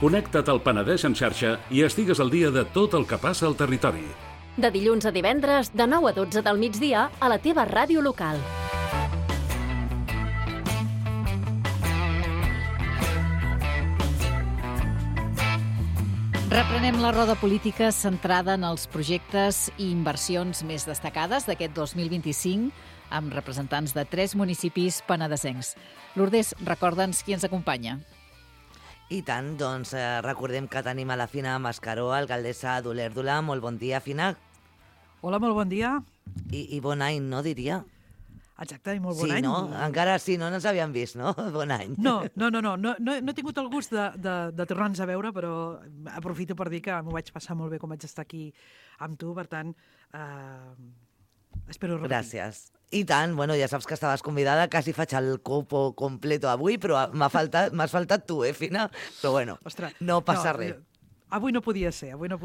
Connecta't al Penedès en xarxa i estigues al dia de tot el que passa al territori. De dilluns a divendres, de 9 a 12 del migdia, a la teva ràdio local. Reprenem la roda política centrada en els projectes i inversions més destacades d'aquest 2025 amb representants de 3 municipis penedesencs. Lourdes, recorda'ns qui ens acompanya. I tant, doncs recordem que tenim a la Fina Mascaró, alcaldessa d'Olèrdola. Molt bon dia, Fina. Hola, molt bon dia. I bon any, no, diria? Exacte, i molt bon any. Sí, no? Encara sí, no ens havíem vist, no? Bon any. No he tingut el gust de tornar-nos a veure, però aprofito per dir que m'ho vaig passar molt bé com vaig estar aquí amb tu, per tant, espero repetir. Gràcies. I tant, bueno, ja saps que estaves convidada, quasi faig el copo completo avui, però m'has faltat tu, Fina? Però bueno, ostres, no passa res. Avui no podia ser. No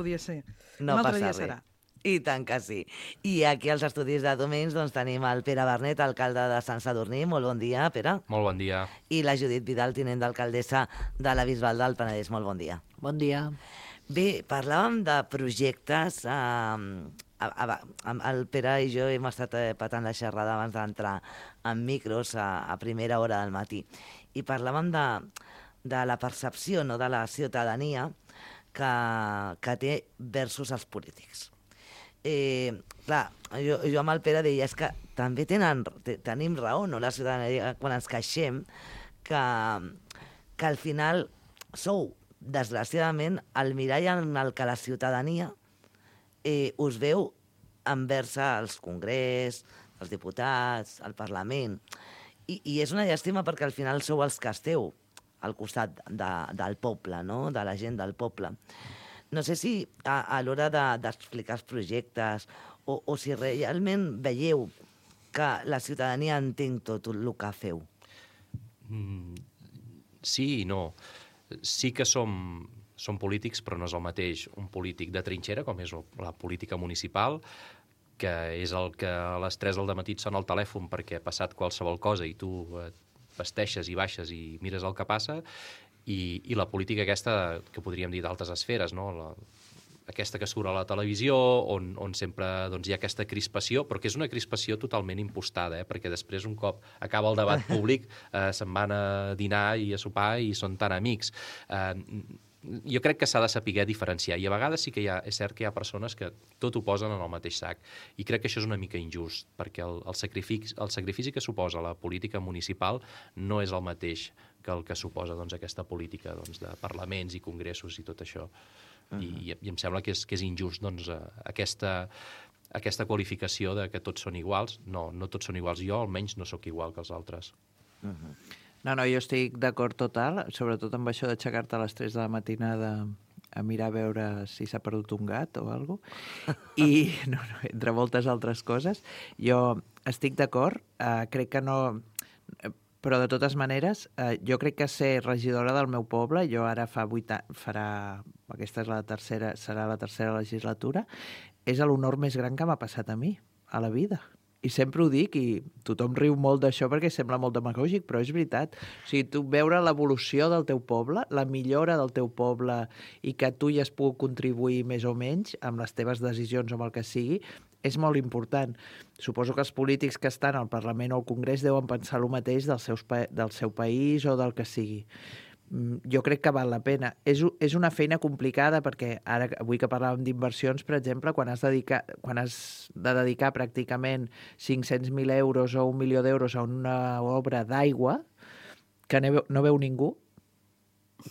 passa res. I tant que sí. I aquí als estudis de Domins doncs, tenim el Pere Bernet, alcalde de Sant Sadurní. Molt bon dia, Pere. Molt bon dia. I la Judit Vidal, tinent d'alcaldessa de la Bisbal del Penedès. Molt bon dia. Bon dia. Bé, parlàvem de projectes. El Pere i jo hem estat patant la xerrada abans d'entrar en micros a primera hora del matí. I parlàvem de la percepció, no, de la ciutadania que té versus els polítics. Clar, jo amb el Pere deia, és que també tenim raó, no, la ciutadania, quan ens queixem que al final sou, desgraciadament, el mirall en el que la ciutadania us veu envers el Congrés, els diputats, el Parlament. I és una llàstima perquè al final sou els que esteu al costat del poble, no? De la gent del poble. No sé si a l'hora d'explicar els projectes o si realment veieu que la ciutadania entén tot el que feu. Sí i no. Sí que som polítics, però no és el mateix un polític de trinxera, com és la política municipal, que és el que a les 3 del dematí et sona el telèfon perquè ha passat qualsevol cosa i tu et vesteixes i baixes i mires el que passa, i la política aquesta, que podríem dir d'altres esferes, no? Aquesta que surt a la televisió, on sempre hi ha aquesta crispació, però que és una crispació totalment impostada, perquè després, un cop acaba el debat públic, se'n van a dinar i a sopar i són tan amics. Jo crec que s'ha de saber diferenciar, i a vegades sí que és cert que hi ha persones que tot ho posen en el mateix sac, i crec que això és una mica injust, perquè el sacrifici que suposa la política municipal no és el mateix que el que suposa aquesta política de parlaments i congressos i tot això. I em sembla que és injust aquesta qualificació de que tots són iguals. No tots són iguals. Jo almenys no sóc igual que els altres. No, jo estic d'acord total, sobretot amb això d'aixecar-te a les 3 de la matinada a mirar a veure si s'ha perdut un gat o alguna cosa. I, entre moltes altres coses, jo estic d'acord, crec que no... Però, de totes maneres, jo crec que ser regidora del meu poble, jo ara aquesta serà la tercera legislatura, és l'honor més gran que m'ha passat a mi, a la vida. I sempre ho dic, i tothom riu molt d'això perquè sembla molt demagògic, però és veritat. O sigui, tu veure l'evolució del teu poble, la millora del teu poble, i que tu hi has pogut contribuir més o menys amb les teves decisions o amb el que sigui, és molt important. Suposo que els polítics que estan al Parlament o al Congrés deuen pensar el mateix del seu país o del que sigui. Jo crec que val la pena. És una feina complicada perquè ara, avui que parlàvem d'inversions, per exemple, quan has de dedicar pràcticament 500.000 euros o 1 milió d'euros a una obra d'aigua que no veu ningú,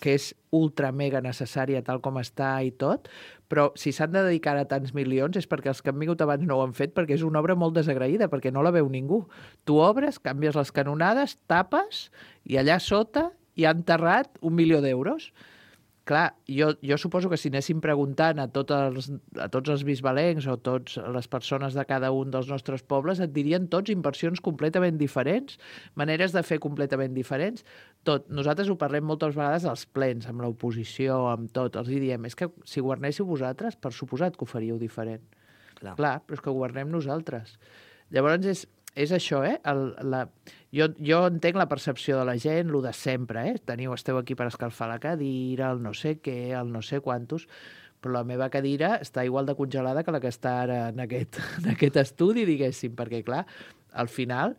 que és ultra mega necessària tal com està i tot, però si s'han de dedicar a tants milions és perquè els que han vingut abans no ho han fet, perquè és una obra molt desagraïda, perquè no la veu ningú. Tu obres, canvies les canonades, tapes, i allà sota hi ha enterrat 1 milió d'euros. Clar, jo suposo que si anéssim preguntant a tots els bisbalencs o a totes les persones de cada un dels nostres pobles, et dirien tots inversions completament diferents, maneres de fer completament diferents. Nosaltres ho parlem moltes vegades als plens, amb l'oposició, amb tot. Els diem, és que si governéssiu vosaltres, per suposat que ho faríeu diferent. Clar, però és que governem nosaltres. Llavors és això, jo entenc la percepció de la gent, el de sempre, esteu aquí per escalfar la cadira, el no sé què, el no sé quantos, però la meva cadira està igual de congelada que la que està ara en aquest estudi, diguéssim, perquè, clar, al final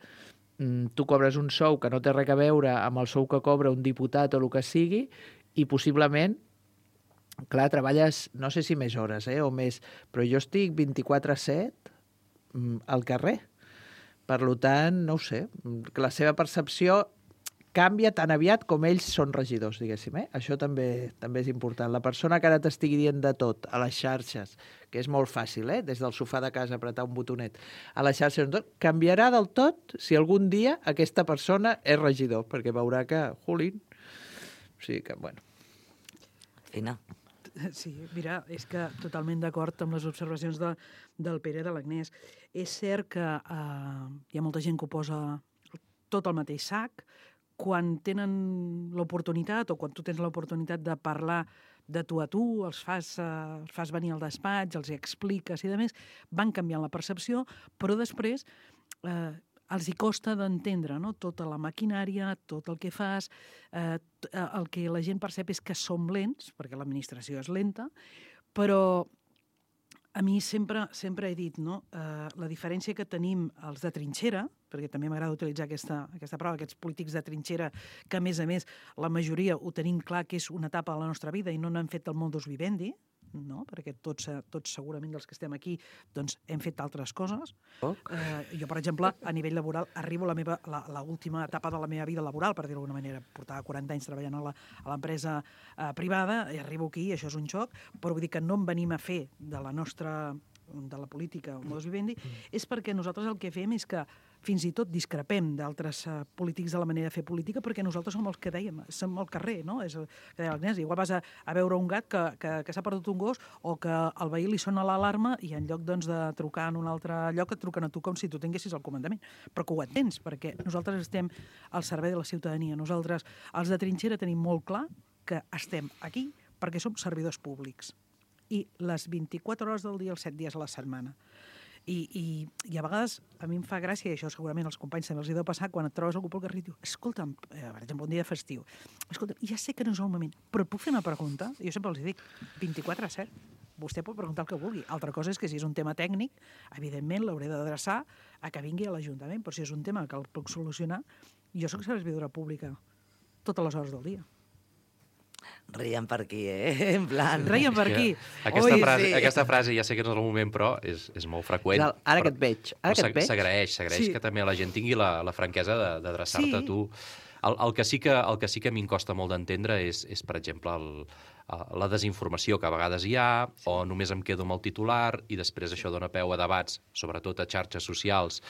tu cobres un sou que no té res a veure amb el sou que cobra un diputat o el que sigui, i possiblement, clar, treballes, no sé si més hores o més, però jo estic 24/7 al carrer. Per tant, no ho sé, que la seva percepció canvia tan aviat com ells són regidors, diguéssim. Això també és important. La persona que ara t'estigui dient de tot a les xarxes, que és molt fàcil, des del sofà de casa apretar un botonet, a les xarxes, canviarà del tot si algun dia aquesta persona és regidor, perquè veurà que, jolín, o sigui que, bueno. Fina. Sí, mira, és que totalment d'acord amb les observacions del Pere i de l'Agnès. És cert que hi ha molta gent que ho posa tot al mateix sac. Quan tenen l'oportunitat o quan tu tens l'oportunitat de parlar de tu a tu, els fas venir al despatx, els hi expliques i demés, van canviant la percepció, però després els hi costa d'entendre, no? Tota la maquinària, tot el que fas, el que la gent percep és que som lents, perquè l'administració és lenta, però a mi sempre he dit, no? La diferència que tenim els de trinxera, perquè també m'agrada utilitzar aquesta paraula, aquests polítics de trinxera, que a més, la majoria ho tenim clar que és una etapa de la nostra vida i no n'han fet el modus vivendi, no? Perquè tots segurament dels que estem aquí doncs, hem fet altres coses. Jo, per exemple, a nivell laboral, arribo a l'última etapa de la meva vida laboral, per dir-ho d'alguna manera. Portava 40 anys treballant a l'empresa privada i arribo aquí, això és un xoc, però vull dir que no en venim a fer de la política o modus vivendi, és perquè nosaltres el que fem és que fins i tot discrepem d'altres polítics de la manera de fer política, perquè nosaltres som els que dèiem, som al carrer, no? És el que deia l'Agnès. Igual vas a veure un gat que s'ha perdut un gos o que al veí li sona l'alarma i en lloc doncs, de trucar en un altre lloc et truquen a tu com si tu tinguessis el comandament. Però que ho entens, perquè nosaltres estem al servei de la ciutadania. Nosaltres, els de trinxera, tenim molt clar que estem aquí perquè som servidors públics. I les 24 hores del dia, els 7 dies a la setmana. I a vegades a mi em fa gràcia, i això segurament als companys també els hi deu passar, quan et trobes algú pel carrer i diu, escolta'm, per exemple, un dia de festiu, escolta'm, ja sé que no és el moment, però et puc fer una pregunta? Jo sempre els dic, 24/7, vostè pot preguntar el que vulgui. Altra cosa és que si és un tema tècnic, evidentment l'hauré d'adreçar a que vingui a l'Ajuntament, però si és un tema que el puc solucionar, jo soc servidora pública totes les hores del dia. Reien per aquí, en plan... Reien per aquí. Aquesta frase, ja sé que no és el moment, però és molt freqüent. Ara que et veig. S'agraeix que també la gent tingui la franquesa d'adreçar-te a tu. El que sí que a mi em costa molt d'entendre és, per exemple, la desinformació que a vegades hi ha, o només em quedo amb el titular, i després això dona peu a debats, sobretot a xarxes socials,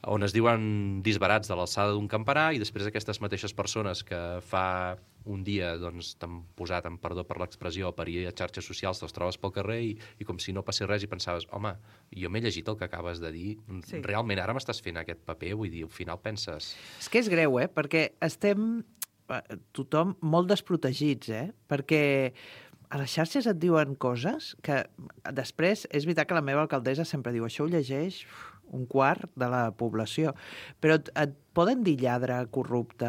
on es diuen disbarats de l'alçada d'un campanar, i després aquestes mateixes persones que fa un dia t'han posat, amb perdó per l'expressió, per ir a xarxes socials, te'ls trobes pel carrer i com si no passés res i pensaves, home, jo m'he llegit el que acabes de dir, realment ara m'estàs fent aquest paper, vull dir, al final penses... És que és greu, perquè estem tothom molt desprotegits, perquè a les xarxes et diuen coses que després, és veritat que la meva alcaldessa sempre diu, això ho llegeix un quart de la població, però et poden dir lladre, corrupte...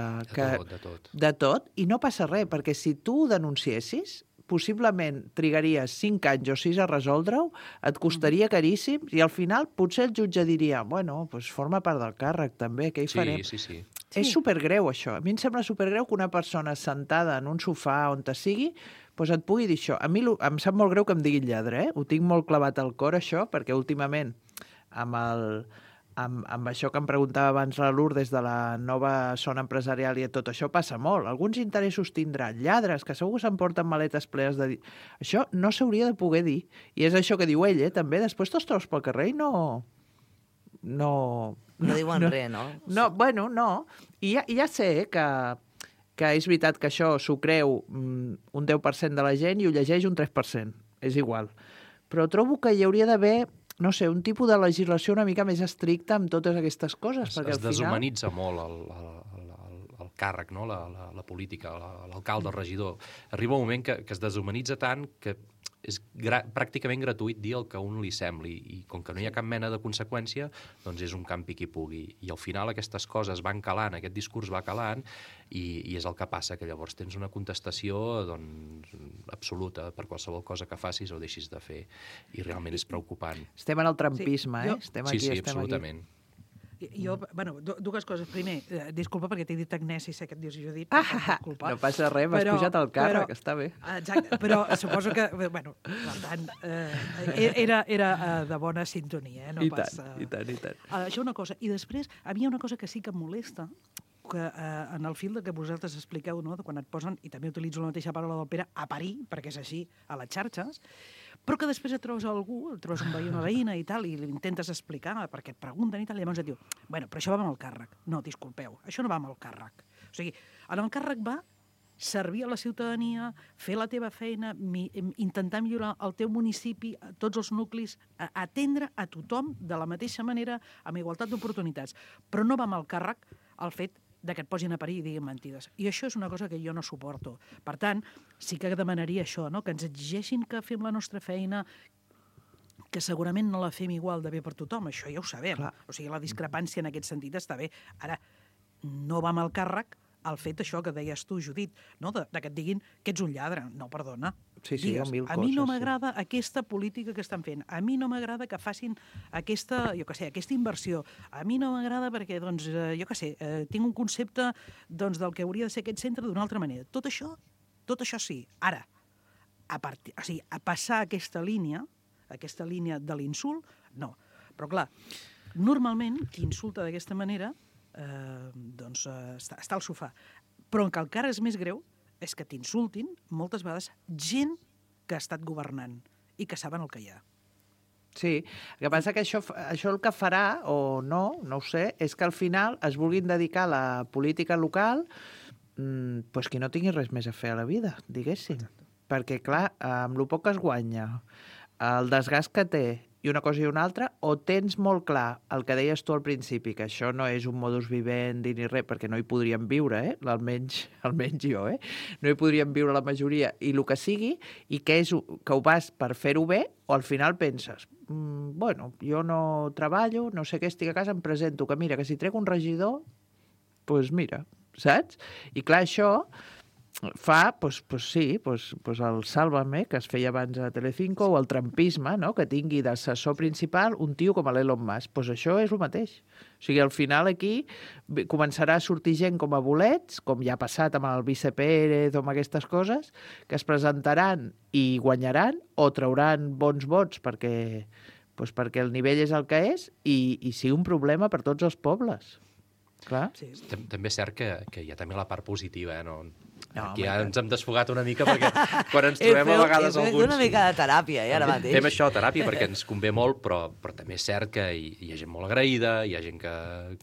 De tot, i no passa res, perquè si tu ho denunciessis, possiblement trigaries 5 anys o 6 a resoldre-ho, et costaria caríssim, i al final potser el jutge diria, bueno, doncs forma part del càrrec també, què hi farem? Sí. És supergreu, això. A mi em sembla supergreu que una persona sentada en un sofà on te sigui doncs et pugui dir això. A mi em sap molt greu que em diguin lladre, Ho tinc molt clavat al cor, això, perquè últimament amb això que em preguntava abans la Lourdes de la nova zona empresarial i tot això passa molt. Alguns interessos tindran lladres, que segur que s'emporten maletes plenes de... Això no s'hauria de poder dir. I és això que diu ell, també. Després te'ls trobes pel carrer i no diuen res, no? No, bueno, no. I ja sé que és veritat que això s'ho creu un 10% de la gent i ho llegeix un 3%. És igual. Però trobo que hi hauria d'haver, no sé, un tipus de legislació una mica més estricta amb totes aquestes coses. Es deshumanitza molt el càrrec, no? La política, l'alcalde, el regidor. Arriba un moment que es deshumanitza tant que és pràcticament gratuït dir el que a un li sembli, i com que no hi ha cap mena de conseqüència, doncs és un campi qui pugui. I al final aquestes coses van calant, aquest discurs va calant, i és el que passa, que llavors tens una contestació absoluta per qualsevol cosa que facis o deixis de fer, i realment és preocupant. Estem en el trumpisme, Estem aquí, sí, absolutament. Jo, dues coses. Primer, disculpa perquè t'he dit Agnès i sé que et dius Judit. No passa res, m'has pujat al càrrec, està bé. Exacte, però suposo que, per tant, era de bona sintonia, no pas... I tant. Això una cosa. I després, a mi hi ha una cosa que sí que em molesta, que en el fil que vosaltres expliqueu, no?, quan et posen, i també utilitzo la mateixa paraula del Pere, a parir, perquè és així, a les xarxes, però que després et trobes algú, et trobes un veí, una veïna i tal, i l'intentes explicar perquè et pregunten i tal, i llavors et diu, bueno, però això va amb el càrrec. No, disculpeu, això no va amb el càrrec. O sigui, en el càrrec va servir a la ciutadania, fer la teva feina, intentar millorar el teu municipi, tots els nuclis, atendre a tothom de la mateixa manera, amb igualtat d'oportunitats. Però no va amb el càrrec el fet que et posin a parir i diguin mentides. I això és una cosa que jo no suporto. Per tant, sí que demanaria això, no?, que ens exigeixin que fem la nostra feina, que segurament no la fem igual de bé per tothom, això ja ho sabem. Clar. O sigui, la discrepància en aquest sentit està bé. Ara, no va amb el càrrec el fet això que deies tu, Judit, no?, de que et diguin que ets un lladre. No, perdona. Sí, digues, mil a mi no coses, m'agrada aquesta política que estan fent. A mi no m'agrada que facin aquesta, jo què sé, aquesta inversió. A mi no m'agrada perquè, doncs, jo què sé, tinc un concepte del que hauria de ser aquest centre d'una altra manera. Tot això sí. Ara, a passar aquesta línia de l'insult, no. Però, clar, normalment, qui insulta d'aquesta manera està al sofà. Però el que encara és més greu és que t'insultin moltes vegades gent que ha estat governant i que saben el que hi ha. Sí, el que passa que això el que farà, o no ho sé, és que al final es vulguin dedicar a la política local pues qui no tingui res més a fer a la vida, diguéssim. Perquè, clar, amb el poc que es guanya, el desgast que té, i una cosa i una altra, o tens molt clar el que deies tu al principi, que això no és un modus vivendi ni res, perquè no hi podríem viure, almenys jo, no hi podríem viure la majoria, i el que sigui, i que ho vas per fer-ho bé, o al final penses, bueno, jo no treballo, no sé què, estic a casa, em presento, que mira, que si trec un regidor, doncs mira, saps? I clar, això fa, el Sálvame, que es feia abans a Telecinco, o el trumpisme, no?, que tingui d'assessor principal un tio com l'Elon Musk. Doncs això és el mateix. O sigui, al final aquí començarà a sortir gent com a bolets, com ja ha passat amb el Vice Pérez o amb aquestes coses, que es presentaran i guanyaran o trauran bons vots perquè el nivell és el que és i sigui un problema per tots els pobles. Clar. Sí. També és cert que hi ha també la part positiva, aquí ja ens hem desfogat una mica perquè quan ens trobem a vegades alguns... Una mica de teràpia, ara mateix. Fem això, teràpia, perquè ens convé molt, però també és cert que hi ha gent molt agraïda, hi ha gent que...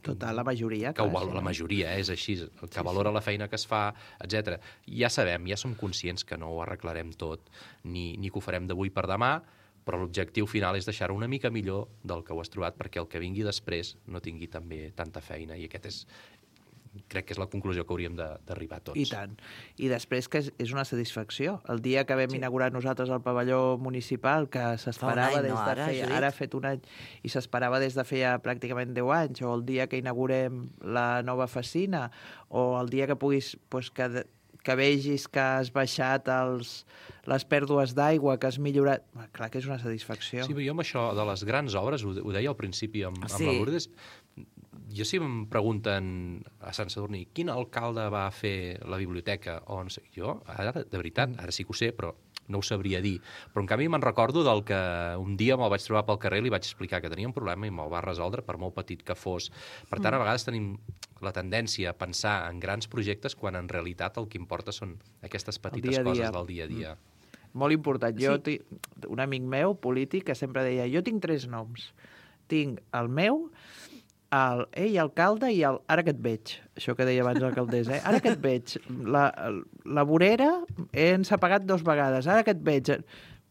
Total, la majoria. Que la majoria, és així, que valora la feina que es fa, etc. Ja sabem, ja som conscients que no ho arreglarem tot, ni que ho farem d'avui per demà, però l'objectiu final és deixar-ho una mica millor del que ho has trobat perquè el que vingui després no tingui també tanta feina, i crec que és la conclusió que hauríem d'arribar tots. I tant. I després que és una satisfacció. El dia que vam inaugurar nosaltres el pavelló municipal, que s'esperava ara ha fet un any, i s'esperava des de feia pràcticament 10 anys, o el dia que inaugurem la nova oficina, o el dia que puguis... que vegis que has baixat les pèrdues d'aigua, que has millorat... Clar que és una satisfacció. Sí, però jo amb això de les grans obres, ho deia al principi amb la Lourdes, jo si em pregunten a Sant Sadurní quin alcalde va fer la biblioteca, o no sé, jo, ara, de veritat, ara sí que ho sé, però no ho sabria dir. Però en canvi me'n recordo del que un dia me'l vaig trobar pel carrer i li vaig explicar que tenia un problema i me'l va resoldre, per molt petit que fos. Per tant, a vegades tenim la tendència a pensar en grans projectes quan en realitat el que importa són aquestes petites coses del dia a dia. Molt important. Jo, un amic meu, polític, que sempre deia, jo tinc 3 noms. Tinc el meu, el alcalde i el ara que et veig. Això que deia abans l'alcaldessa, ara que et veig. La vorera ens ha pagat 2 vegades. Ara que et veig.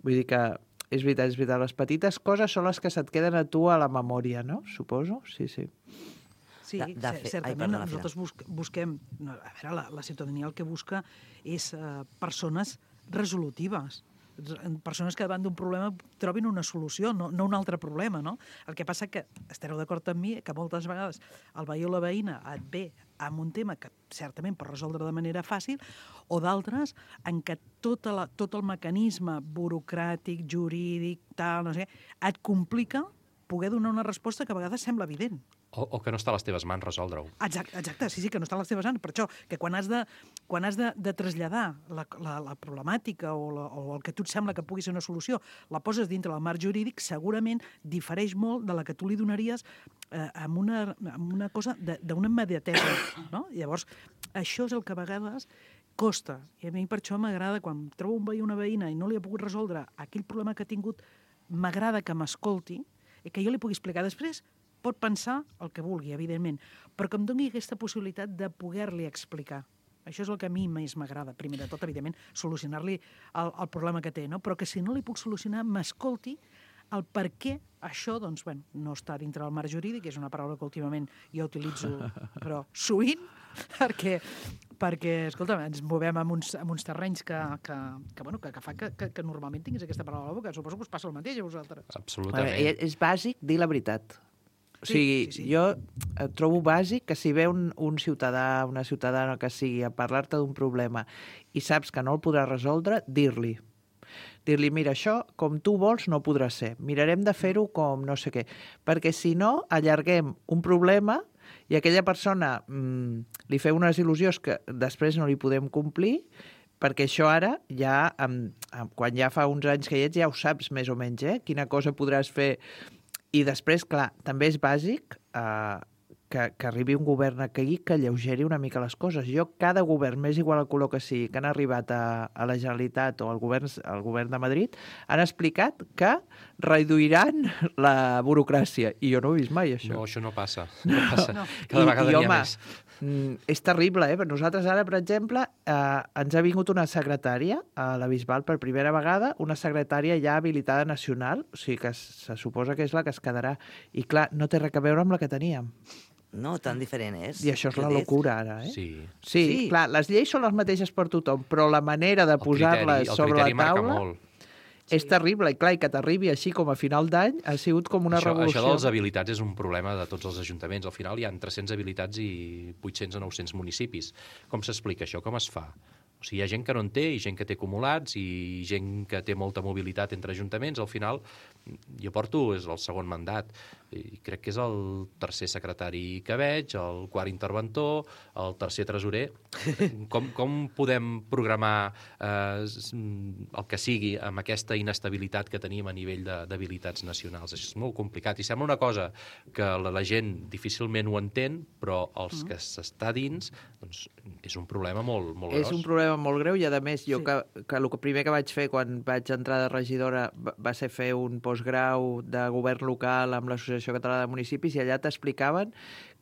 Vull dir que és veritat. Les petites coses són les que se't queden a tu a la memòria, no? Suposo? Sí. Sí, certament. Nosaltres busquem... A veure, la ciutadania el que busca és persones resolutives, persones que davant d'un problema trobin una solució, no un altre problema, no? El que passa que, estareu d'acord amb mi, que moltes vegades el veí o la veïna et ve amb un tema que certament pot resoldre de manera fàcil, o d'altres en què tot el mecanisme burocràtic, jurídic, tal, no sé, et complica poder donar una resposta que a vegades sembla evident. O que no està a les teves mans resoldre-ho. Exacte, sí, que no està a les teves mans. Per això, que quan has de traslladar la problemàtica o el que a tu et sembla que pugui ser una solució, la poses dintre del marc jurídic, segurament difereix molt de la que tu li donaries amb una cosa d'una immediatesa, no? Llavors, això és el que a vegades costa. I a mi per això m'agrada, quan trobo un veí o una veïna i no li ha pogut resoldre aquell problema que ha tingut, m'agrada que m'escolti i que jo li pugui explicar després. Pot pensar el que vulgui, evidentment, però que em doni aquesta possibilitat de poder-li explicar. Això és el que a mi més m'agrada. Primer de tot, evidentment, solucionar-li el problema que té, no? Però que si no li puc solucionar, m'escolti el per què això, doncs, bueno, no està dintre del marc jurídic, és una paraula que últimament jo utilitzo, però sovint, perquè escolta, ens movem en uns terrenys que fa que normalment tinguis aquesta paraula a la boca. Suposo que us passa el mateix a vosaltres. Absolutament. És bàsic dir la veritat. O sigui, sí. Jo trobo bàsic que si ve un ciutadà, una ciutadana que sigui a parlar-te d'un problema i saps que no el podràs resoldre, dir-li, mira, això, com tu vols, no podrà ser. Mirarem de fer-ho com no sé què. Perquè si no, allarguem un problema i aquella persona li feu unes il·lusions que després no li podem complir, perquè això ara, ja quan ja fa uns anys que hi ets, ja ho saps més o menys, quina cosa podràs fer. I després, clar, també és bàsic que arribi un govern aquí que alleugeri una mica les coses. Cada govern, més igual el color que sigui, que han arribat a la Generalitat o al govern de Madrid, han explicat que reduiran la burocràcia. I jo no ho he vist mai, això. No, això no passa. Cada vegada n'hi ha més. És terrible, eh? Nosaltres ara, per exemple, ens ha vingut una secretària a la Bisbal per primera vegada, una secretària ja habilitada nacional, o sigui que se suposa que és la que es quedarà. I clar, no té res a veure amb la que teníem. No, tan diferent és. I això és la locura, ara, eh? Sí, clar, les lleis són les mateixes per tothom, però la manera de posar-les sobre la taula és terrible. I clar, que t'arribi així com a final d'any ha sigut com una revolució. Això de les habilitats és un problema de tots els ajuntaments. Al final hi ha 300 habilitats i 800 o 900 municipis. Com s'explica això? Com es fa? O sigui, hi ha gent que no en té, i gent que té acumulats, i gent que té molta mobilitat entre ajuntaments. Al final, jo porto, és el segon mandat, i crec que és el tercer secretari que veig, el quart interventor, el tercer tresorer. Com podem programar el que sigui amb aquesta inestabilitat que tenim a nivell d'habilitats nacionals? És molt complicat, i sembla una cosa que la gent difícilment ho entén, però els que s'està dins, doncs, és un problema molt gros. És un problema molt greu, i a més, jo que el primer que vaig fer quan vaig entrar de regidora va ser fer un postgrau de govern local amb l'Associació Catalana de Municipis, i allà t'explicaven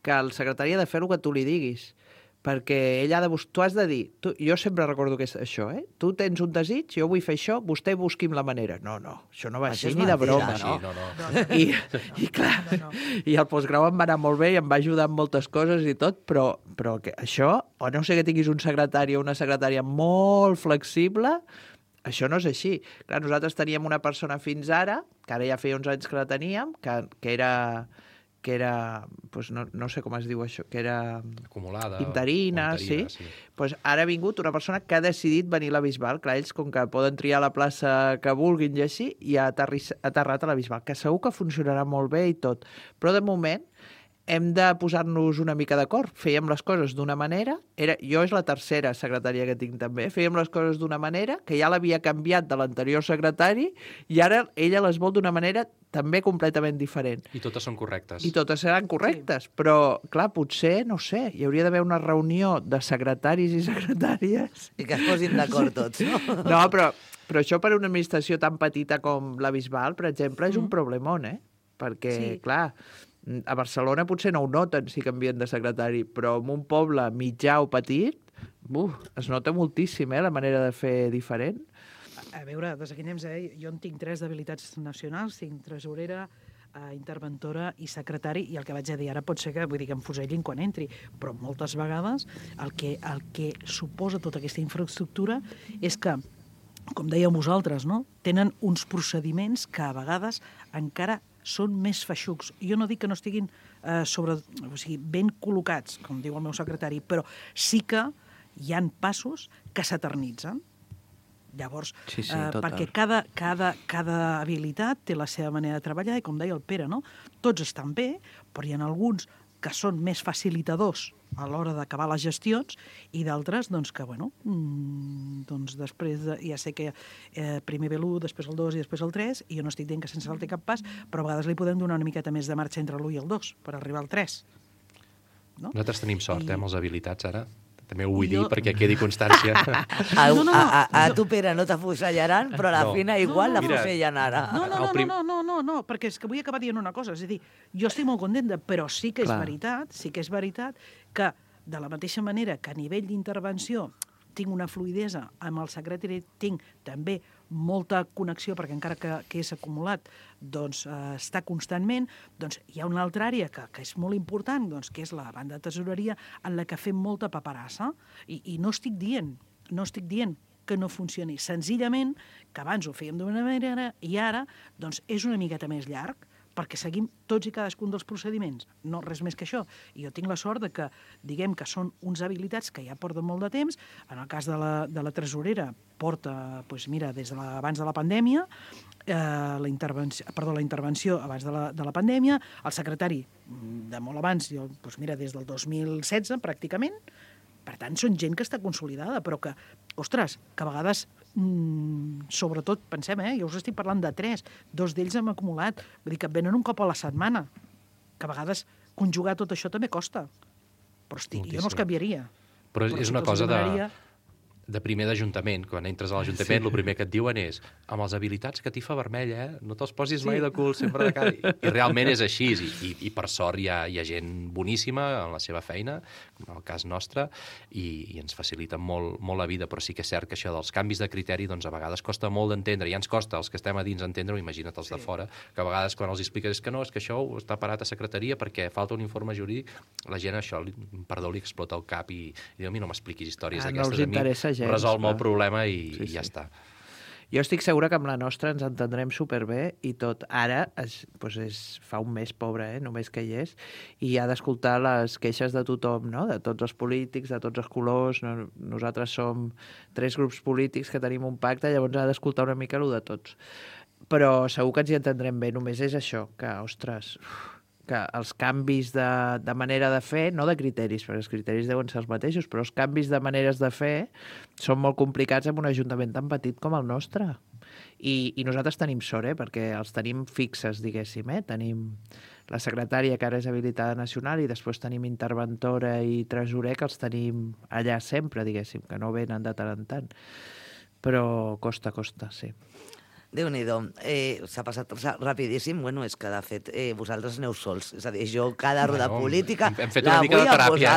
que el secretari ha de fer el que tu li diguis, perquè ell tu has de dir, jo sempre recordo que és això, tu tens un desig, jo vull fer això, vostè busqui'm la manera. No, això no va així ni de broma, no? I clar, i el postgrau em va anar molt bé i em va ajudar en moltes coses i tot, però que això, o no sé que tinguis un secretari o una secretària molt flexible, això no és així. Clar, nosaltres teníem una persona fins ara, que ara ja feia uns anys que la teníem, que era pues no sé com es diu això, que era acumulada, interina, sí. Pues ara ha vingut una persona que ha decidit venir a la Bisbal. Clar, ells, com que poden triar la plaça que vulguin i així, i ha aterrat a la Bisbal, que segur que funcionarà molt bé i tot. Però de moment hem de posar-nos una mica d'acord. Fèiem les coses d'una manera, jo és la tercera secretària que tinc també, fèiem les coses d'una manera, que ja l'havia canviat de l'anterior secretari, i ara ella les vol d'una manera també completament diferent. I totes són correctes. I totes seran correctes, però, clar, potser, no sé, hi hauria d'haver una reunió de secretaris i secretàries. I que es posin d'acord tots, no? No, però això per una administració tan petita com la Bisbal, per exemple, és un problemón, perquè, clar, a Barcelona potser no ho noten si canvien de secretari, però en un poble mitjà o petit, es nota moltíssim, la manera de fer diferent. A veure, desaquinem, jo en tinc 3 d'habilitats nacionals, tinc tresorera, interventora i secretari, i el que vaig a dir ara pot ser que, vull dir, que em fusellin quan entri, però moltes vegades el que suposa tota aquesta infraestructura és que, com dèieu vosaltres, no? Tenen uns procediments que a vegades encara són més feixucs. Jo no dic que no estiguin ben col·locats, com diu el meu secretari, però sí que hi han passos que s'eternitzen. Llavors, perquè cada habilitat té la seva manera de treballar i, com deia el Pere, no? Tots estan bé, però hi ha alguns que són més facilitadors a l'hora d'acabar les gestions i d'altres, doncs, que, bueno, doncs després, ja sé que primer ve l'1, després el 2 i després el 3, i jo no estic dient que sense saltar cap pas, però a vegades li podem donar una miqueta més de marxa entre l'1 i el 2 per arribar al 3. No? Nosaltres tenim sort, amb les habilitats, ara. També ho vull dir perquè quedi constància. A tu, Pere, no t'afusellaran, però a la Fina igual l'afusellen ara. No, perquè és que vull acabar dient una cosa. És a dir, jo estic molt contenta, però sí que és veritat que de la mateixa manera que a nivell d'intervenció tinc una fluidesa, amb el secretari tinc també molta connexió, perquè encara que és acumulat, doncs està constantment, doncs hi ha una altra àrea que és molt important, doncs, que és la banda de tesoreria, en la que fem molta paperassa, i no estic dient que no funcioni, senzillament que abans ho fèiem d'una manera i ara doncs, és una miqueta més llarg, perquè seguim tots i cadascun dels procediments. No, res més que això. I jo tinc la sort de que, diguem que són uns habilitats que ja porten molt de temps. En el cas de la tresorera, porta, doncs mira, des d'abans de la pandèmia, la intervenció abans de la pandèmia, el secretari de molt abans, doncs mira, des del 2016, pràcticament. Per tant, són gent que està consolidada, però que, ostres, que a vegades, sobretot, pensem, jo us estic parlant de 3, 2 d'ells hem acumulat, vull dir que venen un cop a la setmana, que a vegades conjugar tot això també costa. Però, hosti, jo no els canviaria. Però és una cosa de primer d'Ajuntament. Quan entres a l'Ajuntament, el primer que et diuen és amb les habilitats catifa vermella, no te'ls posis mai de cul, sempre de cara. I realment és així, i per sort hi ha gent boníssima en la seva feina, com en el cas nostre, i ens faciliten molt la vida, però sí que és cert que això dels canvis de criteri doncs a vegades costa molt d'entendre, i ja ens costa els que estem a dins entendre-ho, imagina't els de fora, que a vegades quan els expliques que no, és que això està parat a secretaria perquè falta un informe jurídic, la gent això, li explota el cap i diu, a mi no m'expliquis històries d'aquestes, a mi resol el problema i ja està. Jo estic segura que amb la nostra ens entendrem superbé i tot. Ara fa un mes, pobre, només que hi és, i ha d'escoltar les queixes de tothom, no? De tots els polítics, de tots els colors. Nosaltres som 3 grups polítics que tenim un pacte, llavors ha d'escoltar una mica el de tots. Però segur que ens hi entendrem bé. Només és això, que, ostres, que els canvis de manera de fer, no de criteris, perquè els criteris deuen ser els mateixos, però els canvis de maneres de fer són molt complicats en un ajuntament tan petit com el nostre. I nosaltres tenim sort, perquè els tenim fixes, diguéssim. Tenim la secretària, que ara és habilitada nacional, i després tenim interventora i tresorer, que els tenim allà sempre, diguéssim, que no venen de tant en tant. Però costa, sí. Déu-n'hi-do, s'ha passat rapidíssim. Bueno, és que, de fet, vosaltres aneu sols. És a dir, jo cada roda política hem fet una mica de teràpia,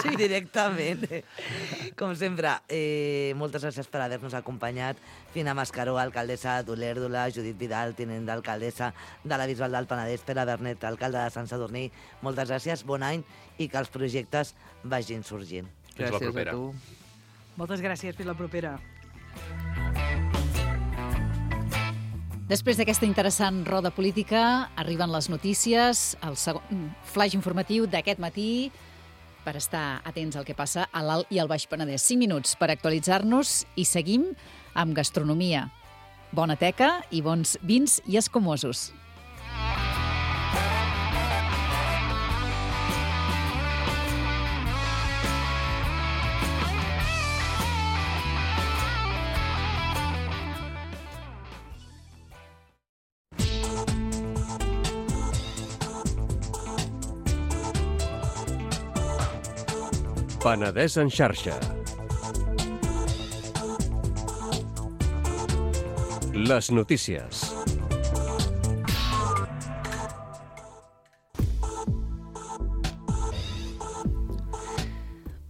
sí, directament. Com sempre, moltes gràcies per haver-nos acompanyat. Fina Mascaró, alcaldessa d'Olèrdola, Judit Vidal, tinent d'alcaldessa de la Bisbal del Penedès, Pere Bernet, alcalde de Sant Sadurní. Moltes gràcies, bon any, i que els projectes vagin sorgint. Fins la propera. Gràcies a tu. Moltes gràcies, fins la propera. Després d'aquesta interessant roda política, arriben les notícies, el segon flaix informatiu d'aquest matí, per estar atents al que passa a l'Alt i al Baix Penedès. 5 minuts per actualitzar-nos i seguim amb gastronomia. Bona teca i bons vins i escumosos. Penedès en xarxa. Les notícies.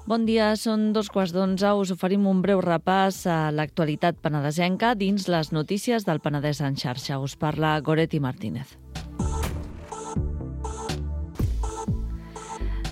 Bon dia, són 11:15. Us oferim un breu repàs a l'actualitat penedesenca dins les notícies del Penedès en xarxa. Us parla Goretti Martínez.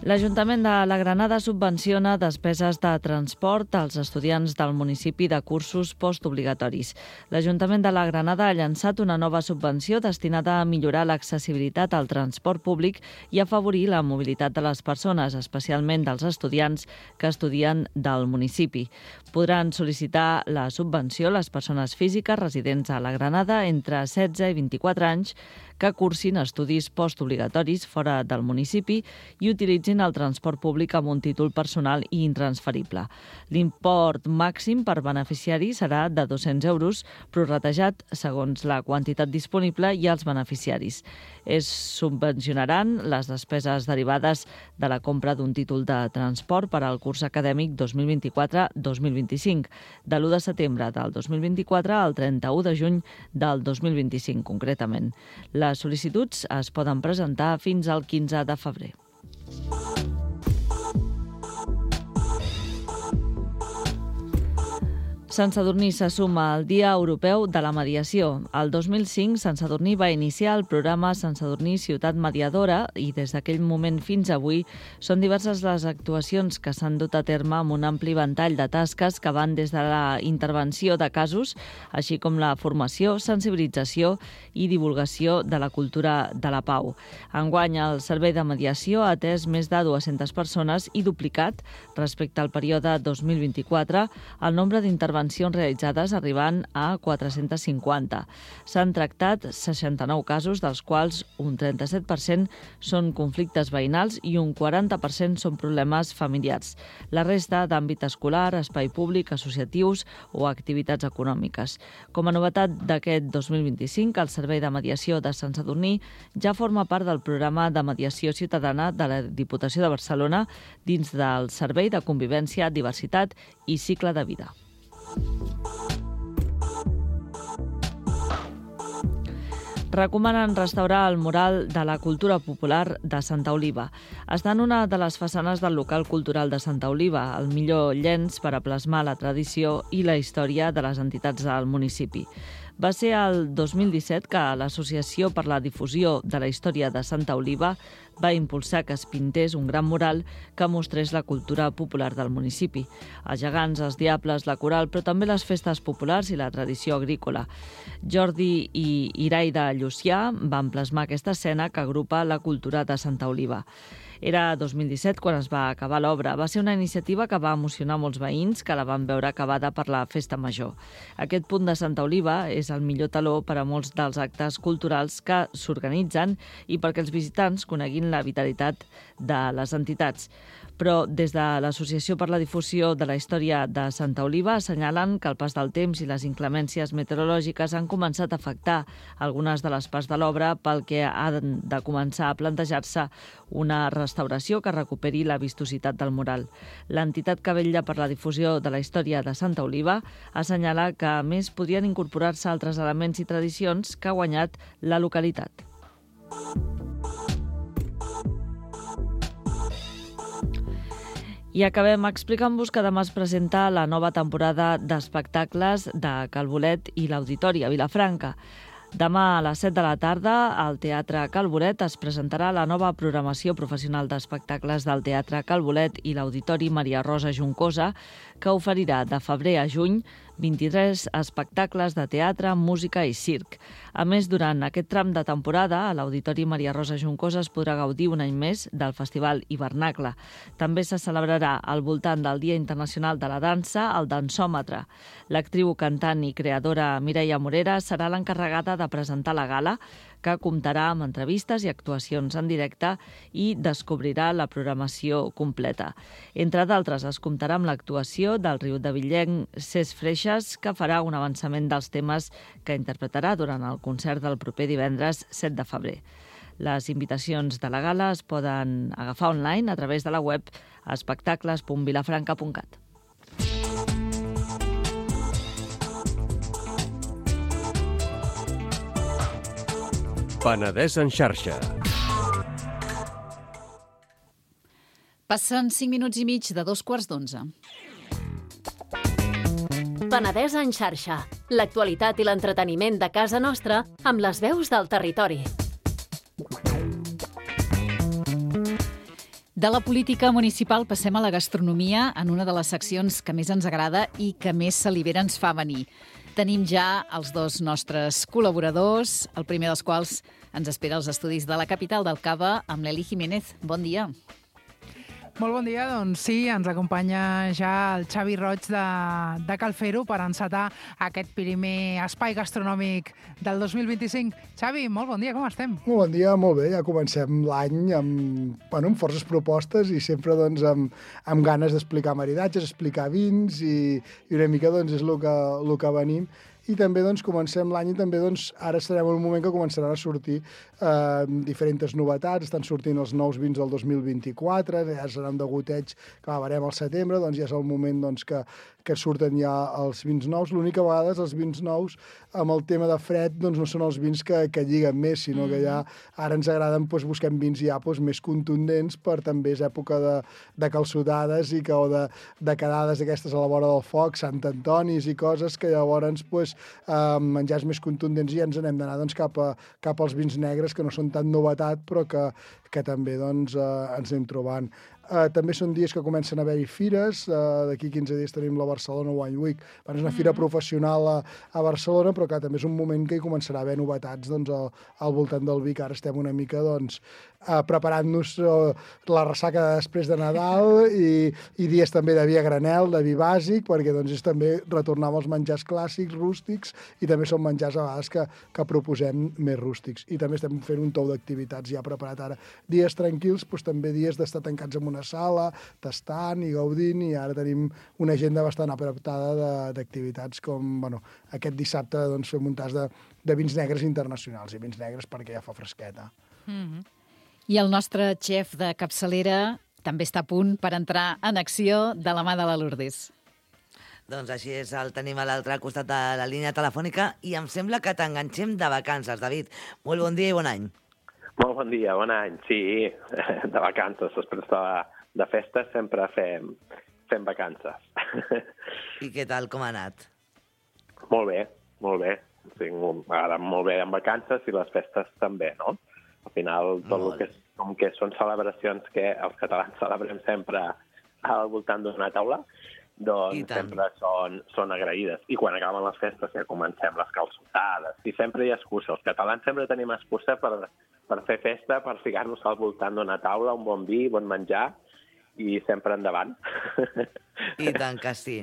L'Ajuntament de la Granada subvenciona despeses de transport als estudiants del municipi de cursos postobligatoris. L'Ajuntament de la Granada ha llançat una nova subvenció destinada a millorar l'accessibilitat al transport públic i afavorir la mobilitat de les persones, especialment dels estudiants que estudien del municipi. Podran sol·licitar la subvenció les persones físiques residents a la Granada entre 16 i 24 anys que cursin estudis postobligatoris fora del municipi i utilitzin el transport públic amb un títol personal i intransferible. L'import màxim per beneficiari serà de 200 euros, prorratejat segons la quantitat disponible i els beneficiaris. Es subvencionaran les despeses derivades de la compra d'un títol de transport per al curs acadèmic 2024-2025, de l'1 de setembre del 2024 al 31 de juny del 2025, concretament. Les sol·licituds es poden presentar fins al 15 de febrer. Sant Sadurní se suma al Dia Europeu de la Mediació. El 2005, Sant Sadurní va iniciar el programa Sant Sadurní Ciutat Mediadora i des d'aquell moment fins avui són diverses les actuacions que s'han dut a terme amb un ampli ventall de tasques que van des de la intervenció de casos, així com la formació, sensibilització i divulgació de la cultura de la pau. Enguany, el Servei de Mediació ha atès més de 200 persones i duplicat, respecte al període 2024, el nombre d'intervencions realitzades arribant a 450. S'han tractat 69 casos, dels quals un 37% són conflictes veïnals i un 40% són problemes familiars. La resta d'àmbit escolar, espai públic, associatius o activitats econòmiques. Com a novetat d'aquest 2025, el Servei de Mediació de Sant Sadurní ja forma part del programa de mediació ciutadana de la Diputació de Barcelona dins del Servei de Convivència, Diversitat i Cicle de Vida. Recomanen restaurar el mural de la cultura popular de Santa Oliva. Està en una de les façanes del local cultural de Santa Oliva, el millor llenç per a plasmar la tradició i la història de les entitats del municipi. Va ser el 2017 que l'Associació per la Difusió de la Història de Santa Oliva va impulsar que es pintés un gran mural que mostrés la cultura popular del municipi. Els gegants, els diables, la coral, però també les festes populars i la tradició agrícola. Jordi i Iraida Llucià van plasmar aquesta escena que agrupa la cultura de Santa Oliva. Era 2017 quan es va acabar l'obra. Va ser una iniciativa que va emocionar molts veïns que la van veure acabada per la festa major. Aquest punt de Santa Oliva és el millor taló per a molts dels actes culturals que s'organitzen i perquè els visitants coneguin la vitalitat de les entitats. Però des de l'Associació per la Difusió de la Història de Santa Oliva assenyalen que el pas del temps i les inclemències meteorològiques han començat a afectar algunes de les parts de l'obra, pel que ha de començar a plantejar-se una restauració que recuperi la vistositat del mural. L'entitat que vetlla per la difusió de la història de Santa Oliva assenyala que, a més, podrien incorporar-se altres elements i tradicions que ha guanyat la localitat. I acabem explicant-vos que demà es presenta la nova temporada d'espectacles de Cal Bolet i l'Auditori a Vilafranca. Demà a les 7 de la tarda, al Teatre Cal Bolet es presentarà la nova programació professional d'espectacles del Teatre Cal Bolet i l'Auditori Maria Rosa Juncosa, que oferirà de febrer a juny 23 espectacles de teatre, música i circ. A més, durant aquest tram de temporada, a l'Auditori Maria Rosa Juncosa es podrà gaudir un any més del Festival Hivernacle. També se celebrarà al voltant del Dia Internacional de la Dansa el Dansòmetre. L'actriu, cantant i creadora Mireia Morera serà l'encarregada de presentar la gala, que comptarà amb entrevistes i actuacions en directe i descobrirà la programació completa. Entre d'altres, es comptarà amb l'actuació del riudevillenc Cesc Freixas, que farà un avançament dels temes que interpretarà durant el concert del proper divendres 7 de febrer. Les invitacions de la gala es poden agafar online a través de la web espectacles.vilafranca.cat. Penedès en xarxa. Passen 5 minuts i mig de 11:15. Penedès en xarxa. L'actualitat i l'entreteniment de casa nostra amb les veus del territori. De la política municipal passem a la gastronomia en una de les seccions que més ens agrada i que més salivera ens fa venir. Tenim ja els dos nostres col·laboradors, el primer dels quals ens espera als estudis de la capital del Cava amb l'Eli Jiménez. Bon dia. Molt bon dia, doncs sí, ens acompanya ja el Xavi Roig de Cal Fer-ho per encetar aquest primer espai gastronòmic del 2025. Xavi, molt bon dia, com estem? Molt bon dia, molt bé, ja comencem l'any amb forces propostes i sempre doncs, amb ganes d'explicar maridatges, explicar vins i una mica doncs, és el que venim. I també doncs, comencem l'any i també doncs, ara estarem en un moment que començaran a sortir diferents novetats. Estan sortint els nous vins del 2024, ja seran de goteig que acabarem al setembre, doncs ja és el moment doncs, que surten ja els vins nous. L'únic que a vegades els vins nous amb el tema de fred doncs, no són els vins que lliguen més, sinó que ja ara ens agraden, doncs, busquem vins ja més contundents per també és època de calçotades o de quedades aquestes a la vora del foc, Sant Antonis i coses que llavors doncs, menjars més contundents i ens n'hem d'anar doncs, cap als vins negres que no són tan novetat però que també doncs, ens anem trobant. També són dies que comencen a haver-hi fires. D'aquí 15 dies tenim la Barcelona Wine Week. És una fira professional a Barcelona, però també és un moment que hi començarà a haver novetats doncs, al voltant del vi, que ara estem una mica doncs, preparant-nos la ressaca després de Nadal i dies també de vi a granel, de vi bàsic, perquè doncs, és també retornar als menjars clàssics, rústics, i també són menjars a vegades que proposem més rústics. I també estem fent un tou d'activitats ja preparat ara. Dies tranquils, doncs, també dies d'estar tancats en una sala, tastant i gaudint, i ara tenim una agenda bastant apretada d'activitats com aquest dissabte doncs, fem un tas de vins negres internacionals, i vins negres perquè ja fa fresqueta. I el nostre xef de capçalera també està a punt per entrar en acció de la mà de la Lourdes. Doncs així és, el tenim a l'altre costat de la línia telefònica i em sembla que t'enganxem de vacances, David. Molt bon dia i bon any. Molt bon dia, bon any. Sí, de vacances. Després de festes sempre fem vacances. I què tal, com ha anat? Molt bé, molt bé. M'agrada molt bé en vacances i les festes també, no? Al final, tot el que són celebracions que els catalans celebrem sempre al voltant d'una taula, doncs sempre són agraïdes. I quan acaben les festes ja comencem les calçotades. I sempre hi ha excusa. Els catalans sempre tenim excusa per fer festa, per ficar-nos al voltant d'una taula, un bon vi, bon menjar, i sempre endavant. I tant que sí.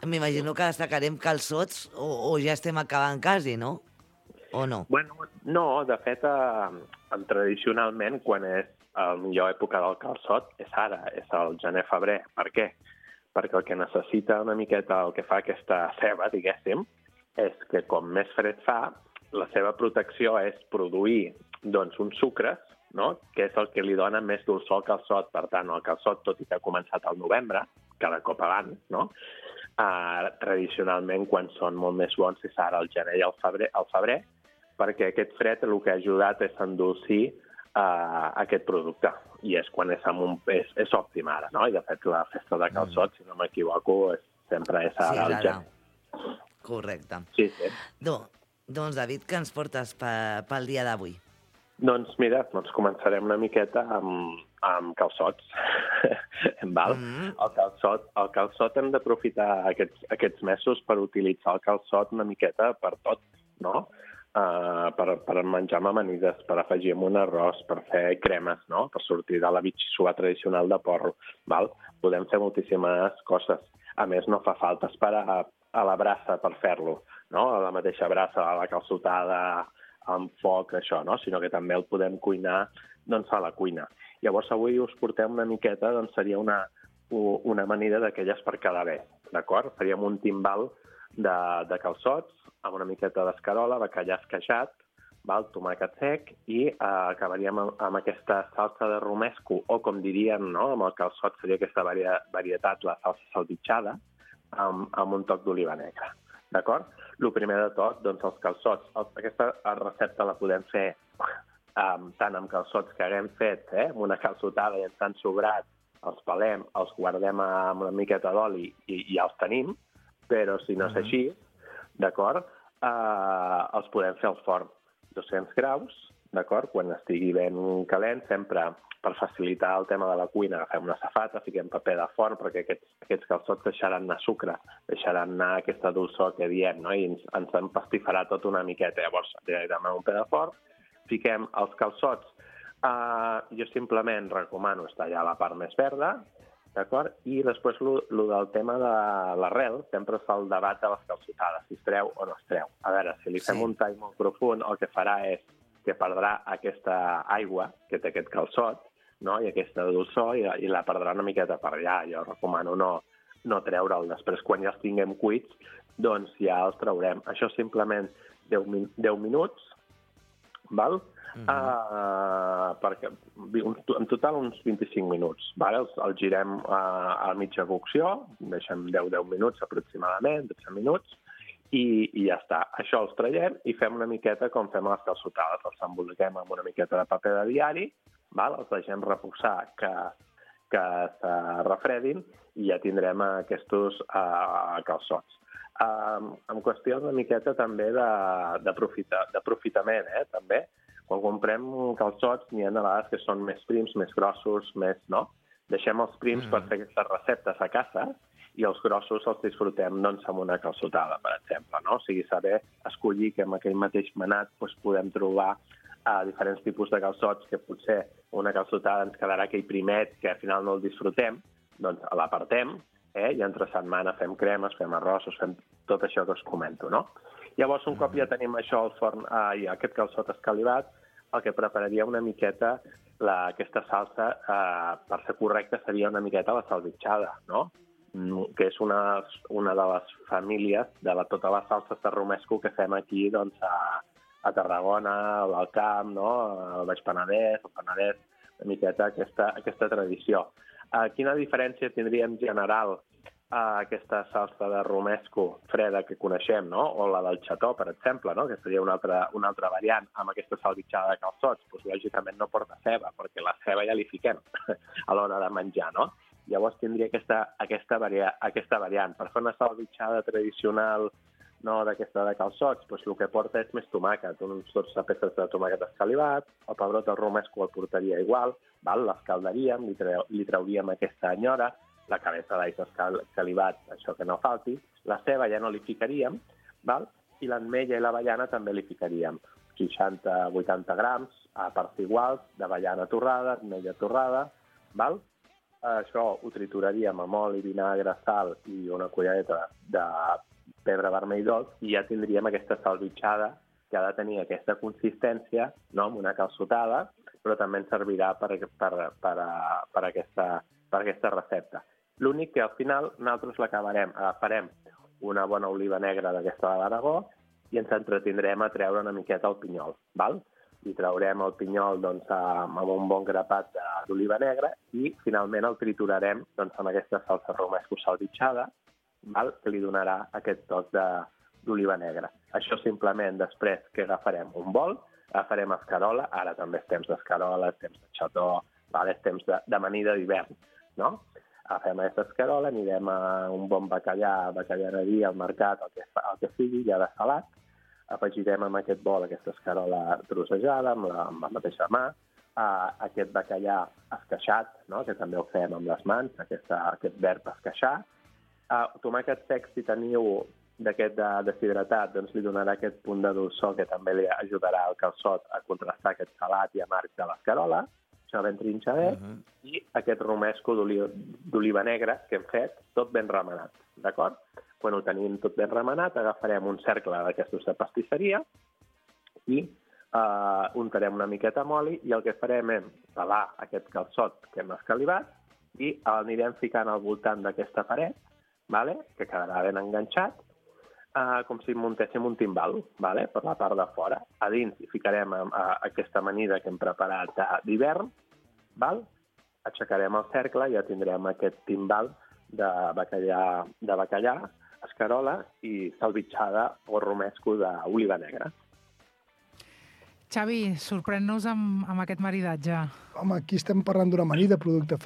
M'imagino que destacarem calçots o ja estem acabant quasi, no? O no? Bueno, no, de fet, tradicionalment, quan és la millor època del calçot, és ara, és el gener-febrer. Per què? Perquè el que necessita una miqueta, el que fa aquesta ceba, diguéssim, és que com més fred fa, la seva protecció és produir doncs, uns sucres, no? Que és el que li dona més dolçor al calçot. Per tant, el calçot, tot i que ha començat al novembre, cada cop abans, no? Tradicionalment, quan són molt més bons, és ara el gener i el febrer, perquè aquest fred el que ha ajudat és endolcir aquest producte. I és quan és òptim ara, no? I de fet la festa de calçot, si no m'equivoco, sempre és ara al gener. Correcte. Sí. Doncs, David, què ens portes pel dia d'avui? Doncs mira, començarem una miqueta amb calçots. Val? El calçot hem d'aprofitar aquests mesos per utilitzar el calçot una miqueta per tot, no? Per menjar amb amanides, per afegir amb un arròs, per fer cremes, no? Per sortir de la bitxissuà tradicional de porro. Val? Podem fer moltíssimes coses. A més, no fa falta esperar a la brasa per fer-lo, no? A la mateixa brasa, a la calçotada, amb foc, això, no? Sinó que també el podem cuinar doncs, a la cuina. Llavors, avui us portem una miqueta, doncs seria una amanida d'aquelles per cada bé, d'acord? Faríem un timbal de calçots, amb una miqueta d'escarola, bacallà esqueixat, tomàquet sec, i acabaríem amb aquesta salsa de romesco, o com diríem, no? Amb el calçot seria aquesta varietat, la salsa salvitxada, amb un toc d'oliva negra. D'acord? El primer de tot, doncs els calçots. Aquesta recepta la podem fer tant amb calçots que haguem fet, amb una calçotada i ens han sobrat, els pelem, els guardem amb una miqueta d'oli i ja els tenim, però si no és així, d'acord, els podem fer al forn. 200 graus, d'acord? Quan estigui ben calent, sempre per facilitar el tema de la cuina, agafem una safata, fiquem paper de forn, perquè aquests calçots deixaran anar sucre, deixaran anar aquesta dolçor que diem, no? I ens empastifarà tot una miqueta. Llavors, directament un paper de forn, fiquem els calçots. Jo simplement recomano tallar la part més verda, d'acord? I després el del tema de l'arrel, sempre es fa el debat de les calçotades, si es treu o no es treu. A veure, si li fem un tall molt profund, el que farà és que perdrà aquesta aigua que té aquest calçot, no? I aquesta dolçor, i la perdrà una miqueta per allà. Jo recomano no treure'l. Després, quan ja els tinguem cuits, doncs ja els traurem. Això simplement 10 minuts, val? Perquè en total uns 25 minuts. Val? El girem a mitja cocció, deixem 10 minuts aproximadament, 12 minuts, i ja està. Això els traiem i fem una miqueta com fem a les calçotades. Els emboliquem amb una miqueta de paper de diari, val? Els deixem reposar que se refredin i ja tindrem aquests calçots. En qüestió una miqueta també d'aprofitament, també. Quan comprem calçots n'hi ha de vegades que són més prims, més grossos, més, no? Deixem els prims per fer aquestes receptes a casa i els grossos els disfrutem amb una calçotada, per exemple, no? O sigui, saber escollir que amb aquell mateix manat podem trobar diferents tipus de calçots, que potser una calçotada ens quedarà aquell primet que al final no el disfrutem, doncs l'apartem, i entre setmana fem cremes, fem arrossos, fem tot això que us comento, no? Llavors, un cop ja tenim això al forn i aquest calçot escalivat, el que prepararia una miqueta aquesta salsa, per ser correcta, seria una miqueta la salvitxada, no? Que és una de les famílies de totes les salses de romesco que fem aquí a Tarragona, al Camp, al Baix Penedès, al Penedès, una miqueta aquesta tradició. Quina diferència tindria en general aquesta salsa de romesco freda que coneixem, no? O la del xató, per exemple, no? Que seria una altra variant amb aquesta salvitxada de calçots? Doncs lògicament no porta ceba, perquè la ceba ja li fiquem a l'hora de menjar, no? Llavors tindria aquesta variant. Per fer una salvitxada tradicional d'aquesta de calçots, doncs el que porta és més tomàquet, uns 12 peces de tomàquet escalivat, el pebrot del romesco el portaria igual, l'escaldaríem, li trauríem aquesta enyora, la cabeza d'all escalivat, això que no falti, la ceba ja no li ficaríem, i l'ametlla i l'avellana també li ficaríem 60-80 grams a parts iguals d'avellana torrada, ametlla torrada, això ho trituraríem amb oli, vinagre, sal i una cullereta de pebre vermell dolç i ja tindríem aquesta salvitxada que ha de tenir aquesta consistència, no?, amb una calçotada, però també ens servirà per aquesta recepta. L'únic que al final nosaltres l'acabarem, agafarem una bona oliva negra d'aquesta de l'Aragó i ens entretindrem a treure una miqueta el pinyol, val? I traurem el pinyol amb un bon grapat d'oliva negra i finalment el triturarem amb aquesta salsa romesco salvitxada, que li donarà aquest toc d'oliva negra. Això simplement després que agafarem un bol, agafarem escarola, ara també és temps d'escarola, és temps de xató, és temps d'amanida d'hivern, no? Agafem aquesta escarola, anirem a un bon bacallaneria al mercat, el que sigui, ja de salat, afegirem amb aquest bol aquesta escarola trossejada, amb la mateixa mà, aquest bacallà esqueixat, que també ho fem amb les mans, aquest verb esqueixar. Tomàquet sec, si teniu d'aquest deshidratat, doncs li donarà aquest punt de dolçor que també li ajudarà al calçot a contrastar aquest salat i amarg de l'escarola, això ben trinxadet, i aquest romesco d'oliva negra que hem fet, tot ben remenat, d'acord? Quan ho tenim tot ben remenat, agafarem un cercle d'aquestos de pastisseria i untarem una miqueta amb oli i el que farem és pelar aquest calçot que hem escalivat i l'anirem ficant al voltant d'aquesta paret, que quedarà ben enganxat, com si muntéssim un timbal, per la part de fora. A dins hi ficarem aquesta amanida que hem preparat d'hivern, aixecarem el cercle i ja tindrem aquest timbal de bacallà, escarola i salvitxada o romesco d'oliva negra. Xavi, sorprèn-nos amb aquest maridatge. Home, aquí estem parlant d'una amanida, producte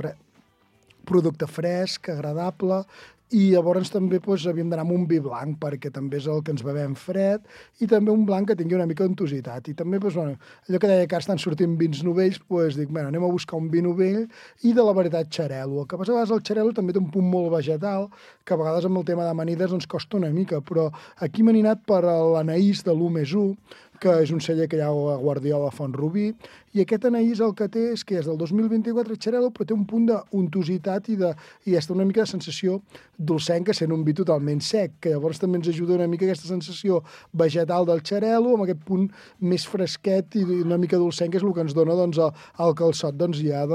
fresc, agradable, i llavors també havíem d'anar amb un vi blanc, perquè també és el que ens bevem fred, i també un blanc que tingui una mica d'untositat. I també, allò que deia que estan sortint vins novells, dic, anem a buscar un vi novell, i de la varietat xarel·lo. El que passa a vegades el xarel·lo també té un punt molt vegetal, que a vegades amb el tema d'amanides costa una mica, però aquí m'he anat per l'Anaís de l'1+1, que és un celler que hi ha a Guardiola Font-rubí, i aquest Anaís el que té és que és del 2024 xarel·lo, però té un punt d'untositat i està una mica de sensació dolcenca, sent un vi totalment sec, que llavors també ens ajuda una mica aquesta sensació vegetal del xarel·lo, amb aquest punt més fresquet i una mica dolcenca, és el que ens dona el calçot ja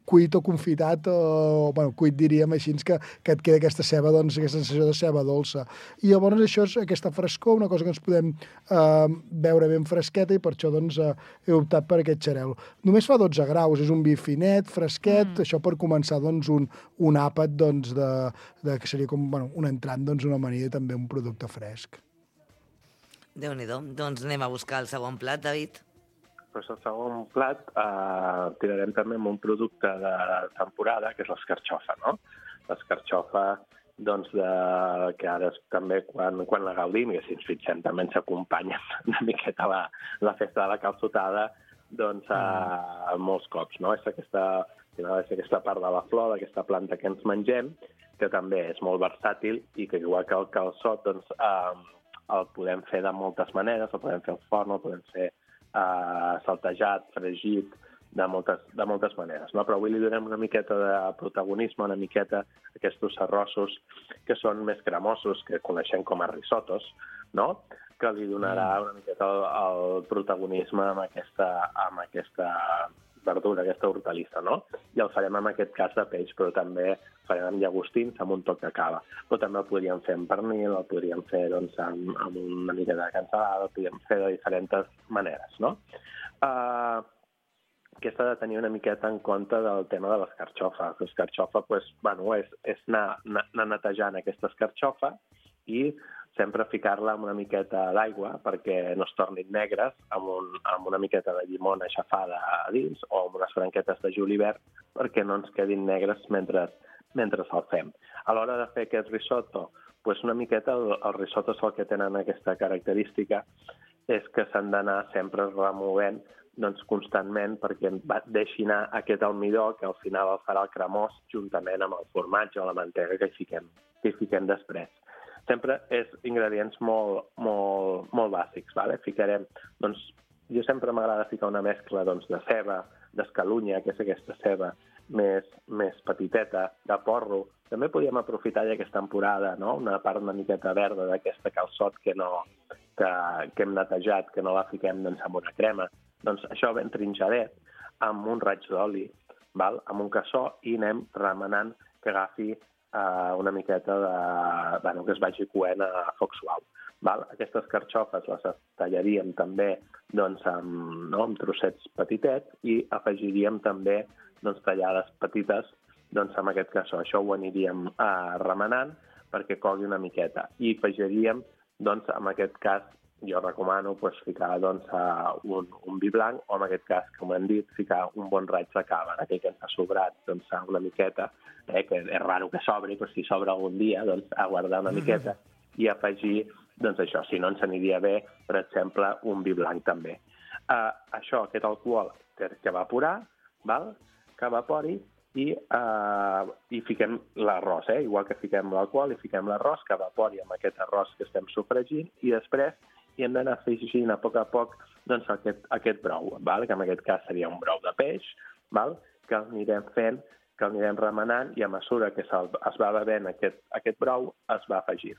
cuit o confitat, cuit diríem així, que et queda aquesta ceba, aquesta sensació de ceba dolça. I llavors això és aquesta frescor, una cosa que ens podem beure ben fresqueta, i per això he optat per aquest xarel·lo. Només fa 12 graus, és un vi finet, fresquet, això per començar un àpat que seria com un entrant, una amanida, també un producte fresc. Déu-n'hi-do. Doncs anem a buscar el segon plat, David. Doncs el segon plat tirarem també amb un producte de temporada, que és l'escarxofa, no? L'escarxofa, que ara també quan la gaudim, i si ens fixem també ens acompanya una miqueta la festa de la calçotada, molts cops, no? És aquesta part de la flor, d'aquesta planta que ens mengem, que també és molt versàtil i que igual que el calçot el podem fer de moltes maneres, el podem fer al forn, el podem fer saltejat, fregit, de moltes maneres, no? Però avui li donem una miqueta de protagonisme, una miqueta aquests arrossos que són més cremosos, que coneixem com a risottos, no? Que li donarà una miqueta el protagonisme amb aquesta verdura, aquesta hortalissa, no? I el farem en aquest cas de peix, però també farem amb llagostins, amb un toc de cava. Però també el podríem fer amb pernil, el podríem fer amb una mica de cansalada, el podríem fer de diferents maneres, no? Que s'ha de tenir una miqueta en compte del tema de l'escarxofa. L'escarxofa és anar netejant aquesta escarxofa i sempre ficar-la amb una miqueta d'aigua perquè no es tornin negres, amb una miqueta de llimona aixafada a dins o amb unes branquetes de julivert perquè no ens quedin negres mentre el fem. A l'hora de fer aquest risotto, una miqueta els risottos el que tenen aquesta característica és que s'han d'anar sempre removent constantment perquè deixi anar aquest almidó que al final el farà el cremós juntament amb el formatge o la mantega que hi fiquem després. Sempre és ingredients molt bàsics. Ficarem, jo sempre m'agrada ficar una mescla de ceba, d'escalunya, que és aquesta ceba més petiteta, de porro. També podíem aprofitar ja aquesta temporada, no? Una part una miqueta verda d'aquesta calçot que hem netejat, que no la fiquem amb una crema. Això ben trinxadet, amb un raig d'oli, amb un cassó, i anem remenant que agafi una miqueta que es vagi coent a foc suau. Aquestes carxofes les tallaríem també amb trossets petitets i afegiríem també tallades petites amb aquest cassó. Això ho aniríem remenant perquè cogui una miqueta. I afegiríem, en aquest cas, jo recomano ficar un vi blanc o, en aquest cas, com hem dit, ficar un bon raig de cava, aquell que ens ha sobrat una miqueta, que és raro que sobri, però si sobra algun dia, a guardar una miqueta i afegir, això, si no ens aniria bé, per exemple, un vi blanc també. Això, aquest alcohol que evaporar, que evapori, i fiquem l'arròs, igual que fiquem l'alcohol i fiquem l'arròs, que evapori amb aquest arròs que estem sofregint, i després hi hem d'anar afegint a poc aquest brou, que en aquest cas seria un brou de peix, que el anirem fent, que el anirem remenant, i a mesura que es va bevent aquest brou, es va afegir.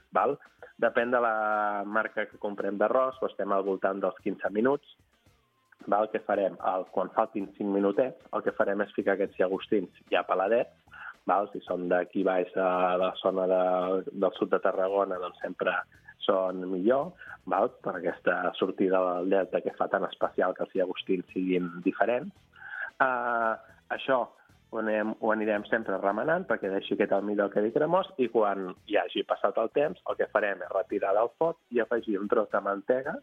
Depèn de la marca que comprem d'arròs, estem al voltant dels 15 minuts. El que farem, quan faltin 5 minutets, el que farem és ficar aquests llagostins ja peladets. Si són d'aquí baix a la zona del sud de Tarragona, doncs sempre són millor, per aquesta sortida del delta que fa tan especial que els llagostins siguin diferents. Això ho anirem sempre remenant perquè deixi aquest almidó quedi cremós, i quan hi hagi passat el temps el que farem és retirar del foc i afegir un tros de mantega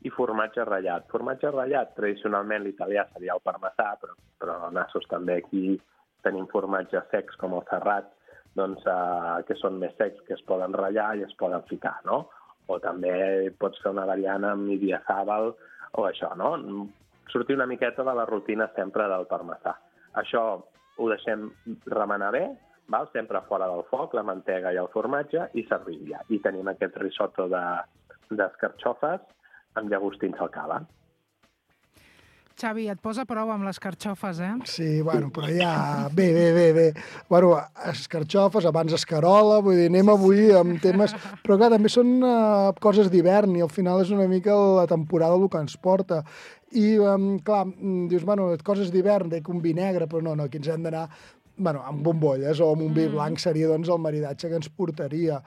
i formatge ratllat. Formatge ratllat, tradicionalment l'italià seria el parmesà, però nassos també aquí tenim formatges secs com el serrat, que són més secs, que es poden ratllar i es poden ficar, no? O també pots fer una variant amb Ibiazàbal o això, no? Sortir una miqueta de la rutina sempre del parmesà. Això ho deixem remenar bé, val? Sempre fora del foc, la mantega i el formatge, i servim ja. I tenim aquest risotto d'escarxofes amb llagostins al cava. Xavi, et posa prou amb les carxofes, eh? Sí, bueno, però ja... Bé. Bueno, escarxofes, abans escarola, vull dir, anem avui amb temes... Però clar, també són coses d'hivern i al final és una mica la temporada el que ens porta. I, clar, dius, bueno, coses d'hivern, dic un vi negre, però no, aquí ens hem d'anar amb bombolles o amb un vi blanc seria doncs el maridatge que ens portaria.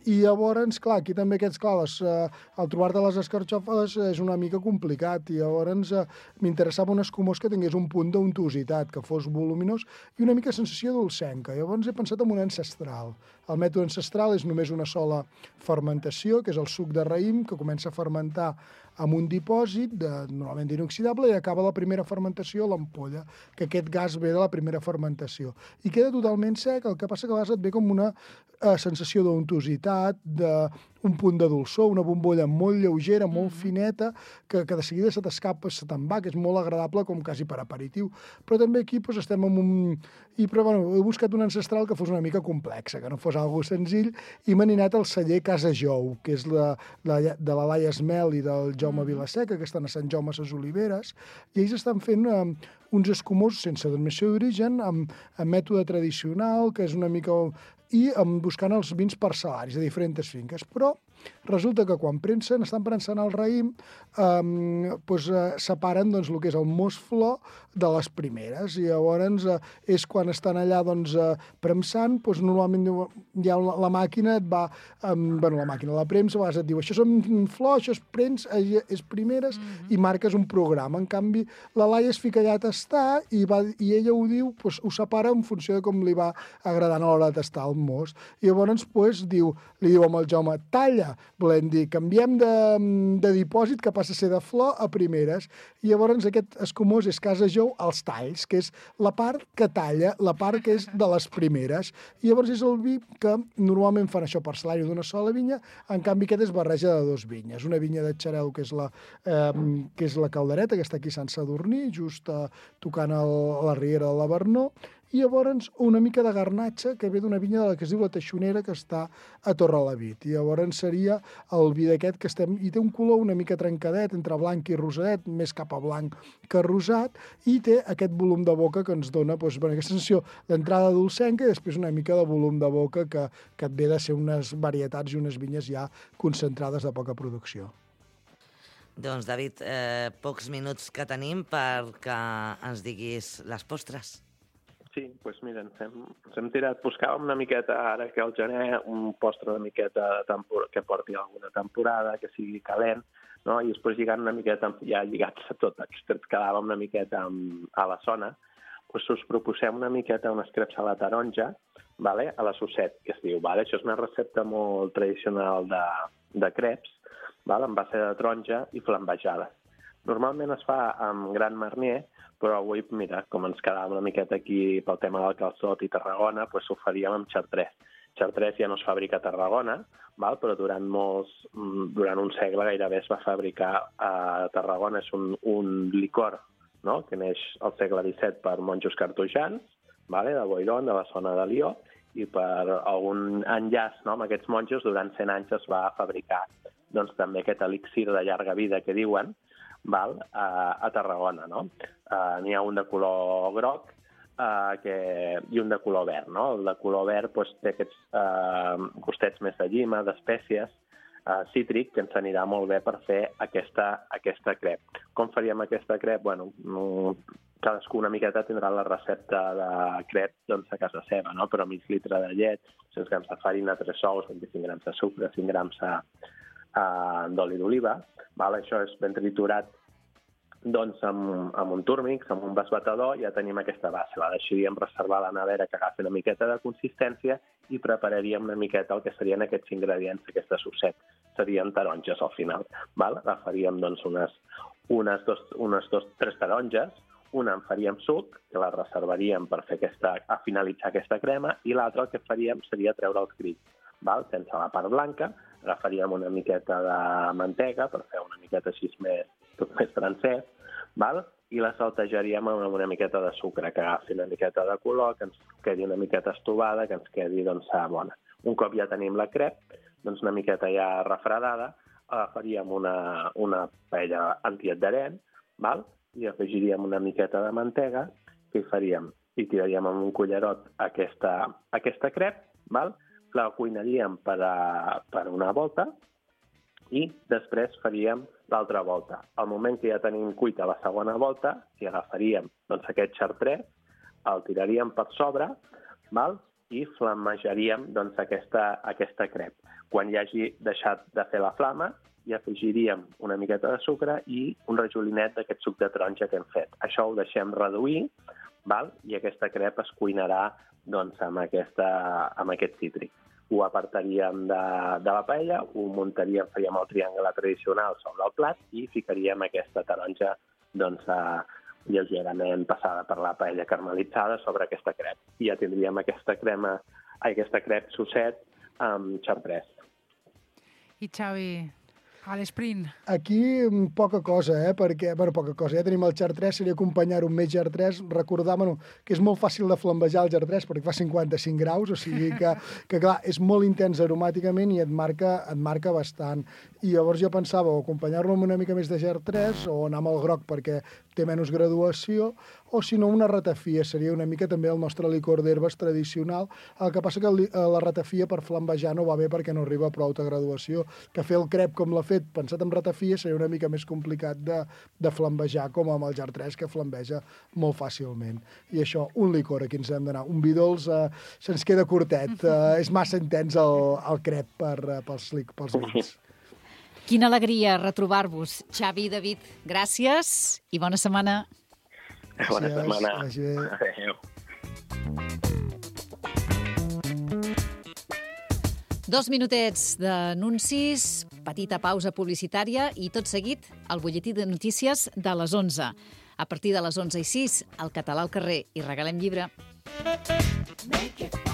I llavors, clar, aquí també el trobar-te les escarxofes és una mica complicat i llavors m'interessava un escumós que tingués un punt d'untositat, que fos voluminós i una mica sensació dolcenca. Llavors he pensat en un ancestral. El mètode ancestral és només una sola fermentació, que és el suc de raïm, que comença a fermentar amb un dipòsit, normalment d'inoxidable, i acaba la primera fermentació a l'ampolla, que aquest gas ve de la primera fermentació. I queda totalment sec, el que passa que a vegades et ve com una sensació d'untositat, d'un punt de dolçor, una bombolla molt lleugera, molt fineta, que de seguida se t'escapa, se te'n va, que és molt agradable com quasi per aperitiu. Però també aquí estem amb un... Però bueno, he buscat un ancestral que fos una mica complexa, que no fos algo senzill, i m'he anat al celler Casa Jou, que és de la Laia Esmel i del Jaume Vilaseca, que estan a Sant Jaume a ses Oliveres, i ells estan fent uns escumosos sense denominació d'origen, amb mètode tradicional, que és una mica... i buscant els vins parcel·laris de diferents finques. Però resulta que quan estan prensant el raïm, separen el que és el mos flor de les primeres, i llavors és quan estan allà premsant, normalment ja la màquina et va... la màquina, la premsa, a vegades et diu això són flors, això és prens, és primeres, i marques un programa. En canvi, la Laia es fica allà a tastar i ella ho diu, ho separa en funció de com li va agradant a l'hora de tastar el mos. I llavors li diu amb el Jaume, talla, volem dir, canviem de dipòsit que passa a ser de flor a primeres. I llavors aquest escumós és Casa Jou als talls, que és la part que talla, la part que és de les primeres. I llavors és el vi que normalment fan això parcel·lari d'una sola vinya, en canvi aquest és barreja de dues vinyes. Una vinya de Xarel, que és la Caldereta, que està aquí a Sant Sadurní, just tocant a la Riera de la Vernó, i llavors una mica de garnatxa que ve d'una vinya de la que es diu la Teixonera, que està a Torrelavit. I llavors seria el vi d'aquest que i té un color una mica trencadet, entre blanc i rosadet, més cap a blanc que rosat, i té aquest volum de boca que ens dona aquesta sensació d'entrada dolcenca i després una mica de volum de boca que et ve de ser unes varietats i unes vinyes ja concentrades de poca producció. Doncs, David, pocs minuts que tenim perquè ens diguis les postres. Sí, doncs mira, ens hem tirat, buscàvem una miqueta, ara que al gener, un postre una miqueta que porti alguna temporada, que sigui calent, no? I després lligant una miqueta, ja lligats a tot, que ens quedàvem una miqueta a la zona, doncs us proposem una miqueta unes creps a la taronja, a la Sosset, que es diu. Això és una recepta molt tradicional de creps, amb base de taronja i flambejades. Normalment es fa amb Gran Marnier, però avui, mira, com ens quedàvem una miqueta aquí pel tema del calçot i Tarragona, doncs ho faríem amb Chartres. Chartres ja no es fabrica a Tarragona, però durant un segle gairebé es va fabricar a Tarragona. És un licor, que neix al segle XVII per monjos cartoixans, de Boiron, de la zona de Lió, i per algun enllaç amb aquests monjos, durant 100 anys es va fabricar també aquest elixir de llarga vida que diuen, a Tarragona. N'hi ha un de color groc i un de color verd. El de color verd té aquests gustets més de llima, d'espècies, cítric, que ens anirà molt bé per fer aquesta crep. Com faríem aquesta crep? Cadascú una miqueta tindrà la recepta de crep a casa seva, però mig litre de llet, 100 grams de farina, 3 ous, 25 grams de sucre, 5 grams d'oli d'oliva. Això és ben triturat amb un túrmix, amb un basbatador, ja tenim aquesta base. La deixaríem reservar a la nevera que agafi una miqueta de consistència i prepararíem una miqueta el que serien aquests ingredients d'aquesta Sosset. Serien taronges al final. Agafaríem unes 3 taronges, Una en faríem suc, que la reservaríem per fer a finalitzar aquesta crema, i l'altra el que faríem seria treure els grills. Sense la part blanca, agafaríem una miqueta de mantega per fer una miqueta així tot més francès, i la saltejaríem amb una miqueta de sucre, que agafi una miqueta de color, que ens quedi una miqueta estovada, que ens quedi bona. Un cop ja tenim la crep, una miqueta ja refredada, agafaríem una paella antiadherent, i afegiríem una miqueta de mantega, que hi faríem? I tiraríem amb un cullerot aquesta crep, la cuinaríem per una volta i després faríem l'altra volta. Al moment que ja tenim cuita la segona volta, hi agafaríem aquest xartrès, el tiraríem per sobre i flamejaríem aquesta crep. Quan ja hagi deixat de fer la flama, hi afegiríem una miqueta de sucre i un rajolinet d'aquest suc de taronja que hem fet. Això ho deixem reduir i aquesta crep es cuinarà amb aquest cítric. Ho apartaríem de la paella, ho muntaríem, faríem el triangle tradicional sobre el plat i ficaríem aquesta taronja lleugerament passada per la paella caramelitzada sobre aquesta crep. I ja tindríem aquesta crep sosset amb xartrès. I Xavi, a l'esprint. Aquí poca cosa, perquè, poca cosa. Ja tenim el xartrès, seria acompanyar-ho amb més xartrès, recordar, que és molt fàcil de flambejar el xartrès perquè fa 55 graus, o sigui que clar, és molt intens aromàticament i et marca bastant. I llavors jo pensava o acompanyar-lo amb una mica més de xartrès o anar amb el groc perquè té menys graduació, o si no una ratafia, seria una mica també el nostre licor d'herbes tradicional. El que passa que la ratafia per flambejar no va bé perquè no arriba a prou de graduació, que fer el crep com l'ha fet pensat en ratafia seria una mica més complicat de flambejar com amb el xartrès, que flambeja molt fàcilment. I això, un licor, aquí ens hem d'anar. Un vi dolç se'ns queda curtet, és massa intens el crep pels vins. Quina alegria retrobar-vos. Xavi i David, gràcies i bona setmana. Bona setmana. Adéu. 2 minutets d'anuncis, petita pausa publicitària i tot seguit el butlletí de notícies de les 11. A partir de les 11:06, el català al carrer i regalem llibre. Make it